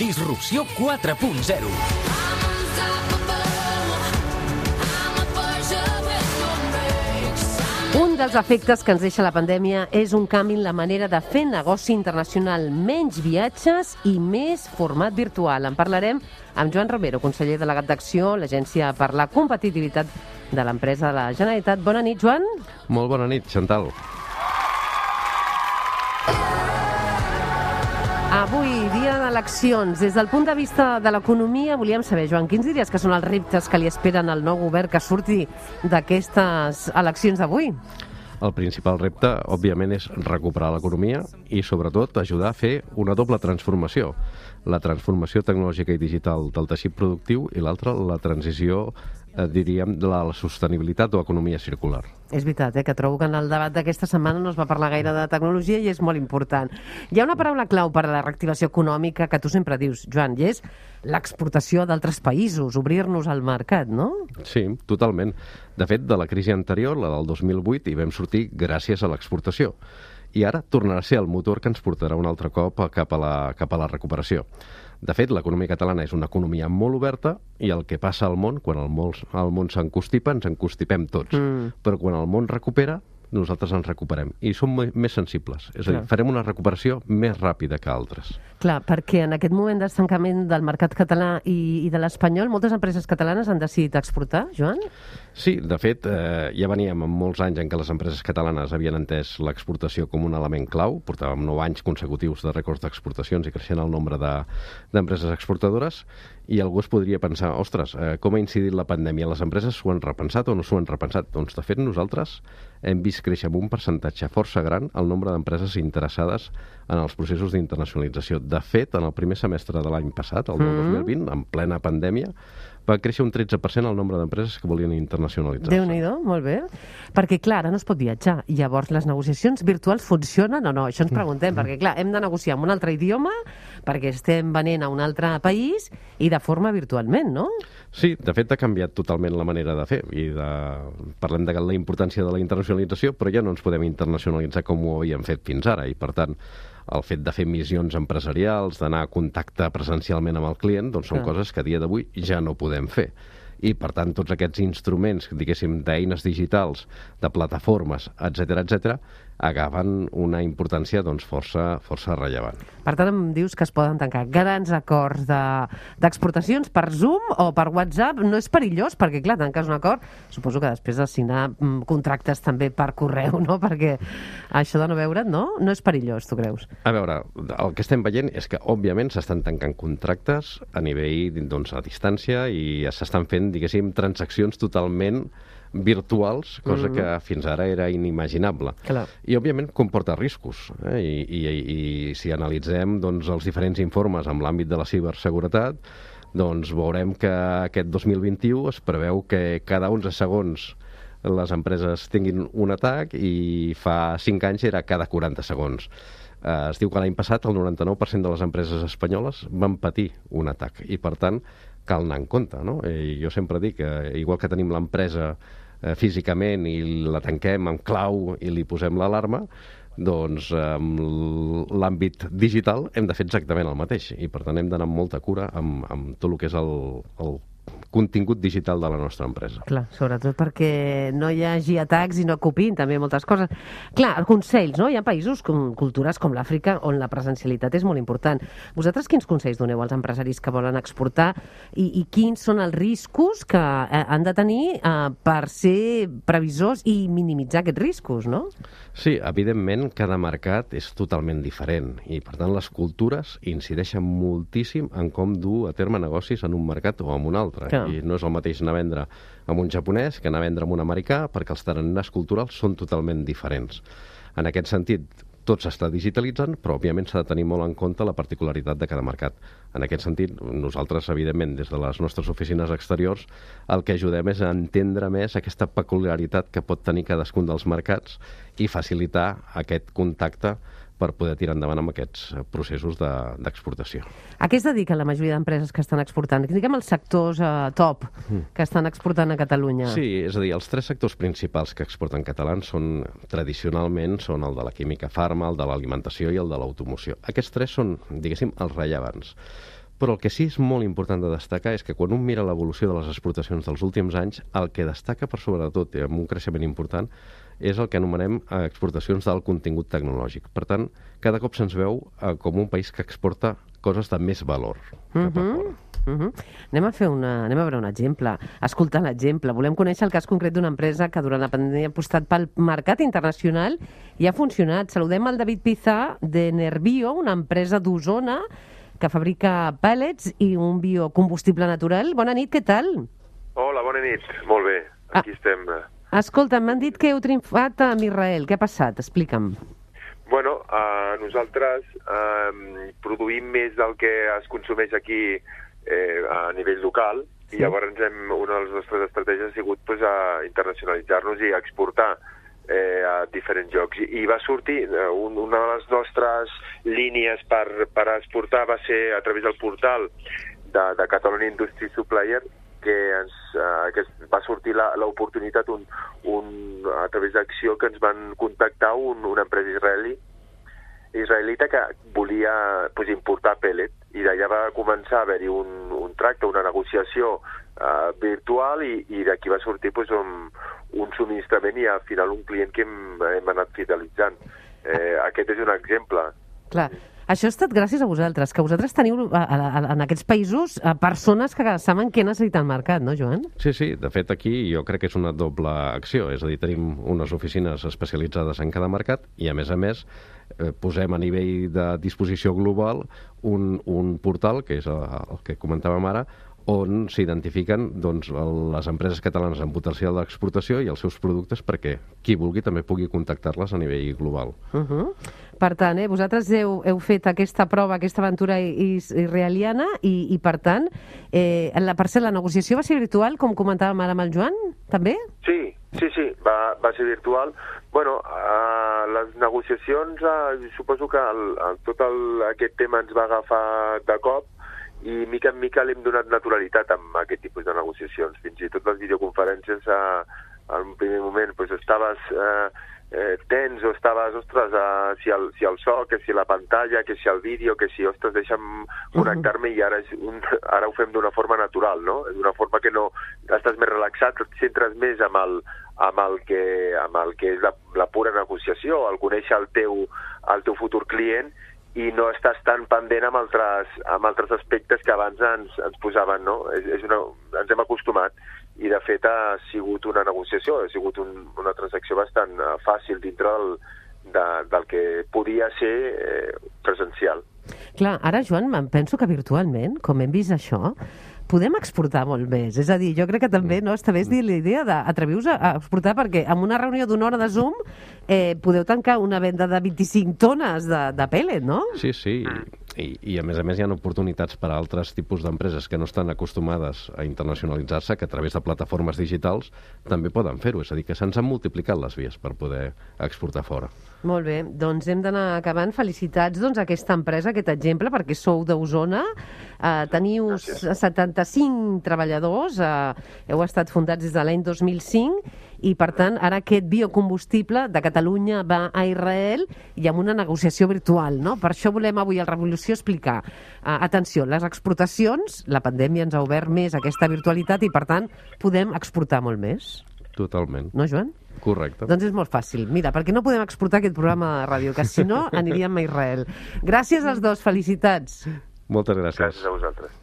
Disrupció 4.0. Un dels efectes que ens deixa la pandèmia és un canvi en la manera de fer negoci internacional, menys viatges i més format virtual. En parlarem amb Joan Romero, conseller delegat d'Acció, l'Agència per la Competitivitat de l'Empresa de la Generalitat. Bona nit, Joan. Molt bona nit, Chantal. Avui, dia d'eleccions. Des del punt de vista de l'economia, volíem saber, Joan, quins diries que són els reptes que li esperen al nou govern que surti d'aquestes eleccions d'avui? El principal repte, òbviament, és recuperar l'economia i, sobretot, ajudar a fer una doble transformació. La transformació tecnològica i digital del teixit productiu i l'altra, la transició, diríem, de la sostenibilitat o economia circular. És veritat, que trobo que en el debat d'aquesta setmana no es va parlar gaire de tecnologia i és molt important. Hi ha una paraula clau per a la reactivació econòmica que tu sempre dius, Joan, i és l'exportació d'altres països, obrir-nos al mercat, no? Sí, totalment. De fet, de la crisi anterior, la del 2008, hi vam sortir gràcies a l'exportació. I ara tornarà a ser el motor que ens portarà un altre cop cap a la recuperació. De fet, l'economia catalana és una economia molt oberta i el que passa al món, quan el món s'encostipa, ens encostipem tots. Però quan el món recupera, nosaltres ens recuperem. I som més sensibles. És a dir, farem una recuperació més ràpida que altres. Clar, perquè en aquest moment d'estancament del mercat català i de l'espanyol, moltes empreses catalanes han decidit exportar, Joan? Sí, de fet, ja veníem amb molts anys en què les empreses catalanes havien entès l'exportació com un element clau. Portàvem 9 anys consecutius de rècords d'exportacions i creixent el nombre d'empreses exportadores, i algú es podria pensar, ostres, com ha incidit la pandèmia? Les empreses s'ho han repensat o no s'ho han repensat? Doncs, de fet, nosaltres hem vist créixer amb un percentatge força gran el nombre d'empreses interessades en els processos d'internacionalització. De fet, en el primer semestre de l'any passat, el 2020, en plena pandèmia, va créixer un 13% el nombre d'empreses que volien internacionalitzar-se. Déu-n'hi-do, molt bé. Perquè, clar, ara no es pot viatjar. Llavors, les negociacions virtuals funcionen o no? Això ens preguntem, perquè, clar, hem de negociar en un altre idioma, perquè estem venent a un altre país i de forma virtualment, no? Sí, de fet, ha canviat totalment la manera de fer. Parlem de la importància de la internacionalització, però ja no ens podem internacionalitzar com ho havíem fet fins ara, i, per tant, el fet de fer missions empresarials, d'anar a contacte presencialment amb el client, doncs són coses que a dia d'avui ja no podem fer. I, per tant, tots aquests instruments, diguéssim, d'eines digitals, de plataformes, etc., agafen una importància doncs, força rellevant. Per tant, em dius que es poden tancar grans acords d'exportacions per Zoom o per WhatsApp. No és perillós, perquè, clar, tanques un acord, suposo que després de signar contractes també per correu, no? Perquè això de no veure't, no? No és perillós, tu creus? A veure, el que estem veient és que, òbviament, s'estan tancant contractes a nivell, doncs, a distància, i s'estan fent, diguéssim, transaccions totalment virtuals, cosa que fins ara era inimaginable. Clar. I, òbviament, comporta riscos. I si analitzem doncs, els diferents informes en l'àmbit de la ciberseguretat, doncs veurem que aquest 2021 es preveu que cada 11 segons les empreses tinguin un atac, i fa 5 anys era cada 40 segons. Es diu que l'any passat el 99% de les empreses espanyoles van patir un atac, i, per tant, cal anar en compte, no? I jo sempre dic que, igual que tenim l'empresa físicament i la tanquem amb clau i li posem l'alarma, doncs amb l'àmbit digital hem de fer exactament el mateix, i, per tant, hem d'anar amb molta cura amb tot el que és el contingut digital de la nostra empresa. Clar, sobretot perquè no hi hagi atacs i no copin també moltes coses. Clar, consells, no? Hi ha països, cultures com l'Àfrica, on la presencialitat és molt important. Vosaltres quins consells doneu als empresaris que volen exportar i quins són els riscos que han de tenir per ser previsors i minimitzar aquests riscos, no? Sí, evidentment, cada mercat és totalment diferent, i, per tant, les cultures incideixen moltíssim en com dur a terme negocis en un mercat o en un altre. Clar. I no és el mateix anar a vendre amb un japonès que anar a vendre amb un americà, perquè els tarannars culturals són totalment diferents. En aquest sentit, tot s'està digitalitzant, però, òbviament, s'ha de tenir molt en compte la particularitat de cada mercat. En aquest sentit, nosaltres, evidentment, des de les nostres oficines exteriors, el que ajudem és a entendre més aquesta peculiaritat que pot tenir cadascun dels mercats i facilitar aquest contacte per poder tirar endavant amb aquests processos d'exportació. A què es dediquen la majoria d'empreses que estan exportant? Diguem els sectors top que estan exportant a Catalunya. Sí, és a dir, els 3 sectors principals que exporten catalans tradicionalment són el de la química farma, el de l'alimentació i el de l'automoció. Aquests 3 són, diguéssim, els rellevants. Però el que sí és molt important de destacar és que quan un mira l'evolució de les exportacions dels últims anys, el que destaca per sobretot, amb un creixement important, és el que anomenem exportacions d'alt contingut tecnològic. Per tant, cada cop se'ns veu com un país que exporta coses de més valor cap a fora. Anem a veure un exemple. Escoltar l'exemple. Volem conèixer el cas concret d'una empresa que durant la pandèmia ha apostat pel mercat internacional i ha funcionat. Saludem el David Pizà de Nerbio, una empresa d'Osona que fabrica pellets i un biocombustible natural. Bona nit, què tal? Hola, bona nit. Molt bé, aquí estem. Escolta, m'han dit que heu triomfat amb Israel. Què ha passat? Explica'm. Bueno, nosaltres produïm més del que es consumeix aquí a nivell local, i llavors una de les nostres estratègies ha sigut internacionalitzar-nos i exportar a diferents llocs. I va sortir, una de les nostres línies per exportar va ser a través del portal de Catalonia Industry Supplier, que va sortir l'oportunitat a través d'Acció, que ens van contactar una empresa israelita que volia importar pellet, i d'allà va començar a haver-hi un tracte, una negociació virtual, i d'aquí va sortir un subministrament i al final un client que hem anat fidelitzant. Aquest és un exemple. Clar, això ha estat gràcies a vosaltres, que vosaltres teniu en aquests països persones que saben què necessita el mercat, no, Joan? Sí, de fet aquí jo crec que és una doble acció, és a dir, tenim unes oficines especialitzades en cada mercat i a més posem a nivell de disposició global un portal, que és el que comentàvem ara, on s'identifiquen les empreses catalanes amb potencial d'exportació i els seus productes perquè qui vulgui també pugui contactar-les a nivell global. Per tant, vosaltres heu fet aquesta prova, aquesta aventura israeliana i per tant, la negociació va ser virtual, com comentàvem ara amb el Joan, també? Sí, va ser virtual. Bueno, les negociacions, suposo que tot aquest tema ens va agafar de cop, i mica en mica l'hem donat naturalitat amb aquest tipus de negociacions. Fins i tot les videoconferències, en un primer moment estaves tens o estaves, ostres, si el so, que si la pantalla, que si el vídeo, que si, ostres, deixa'm connectar-me, i ara ho fem d'una forma natural, no? D'una forma que no estàs més relaxat, et centres més amb el que és la pura negociació, el conèixer el teu futur client, i no estàs tan pendent amb altres aspectes que abans ens posaven, no? Ens hem acostumat, i de fet ha sigut una negociació, ha sigut una transacció bastant fàcil dintre del que podia ser presencial. Clar, ara, Joan, em penso que virtualment, com hem vist això, podem exportar molt més. És a dir, jo crec que també està bé dir la idea d'atreviu-vos a exportar, perquè en una reunió d'una hora de Zoom podeu tancar una venda de 25 tones de pellet, no? Sí. I a més hi ha oportunitats per a altres tipus d'empreses que no estan acostumades a internacionalitzar-se, que a través de plataformes digitals també poden fer-ho. És a dir, que se'ns han multiplicat les vies per poder exportar fora. Molt bé, doncs hem d'anar acabant. Felicitats a aquesta empresa, aquest exemple, perquè sou d'Osona, teniu 75 treballadors, heu estat fundats des de l'any 2005, i per tant ara aquest biocombustible de Catalunya va a Israel i amb una negociació virtual, no? Per això volem avui al Revolució explicar, atenció, les exportacions, la pandèmia ens ha obert més aquesta virtualitat i per tant podem exportar molt més. Totalment. No, Joan? Correcte. Doncs és molt fàcil. Mira, perquè no podem exportar aquest programa de ràdio, que si no aniríem a Israel. Gràcies als dos, felicitats. Moltes gràcies. Gràcies a vosaltres.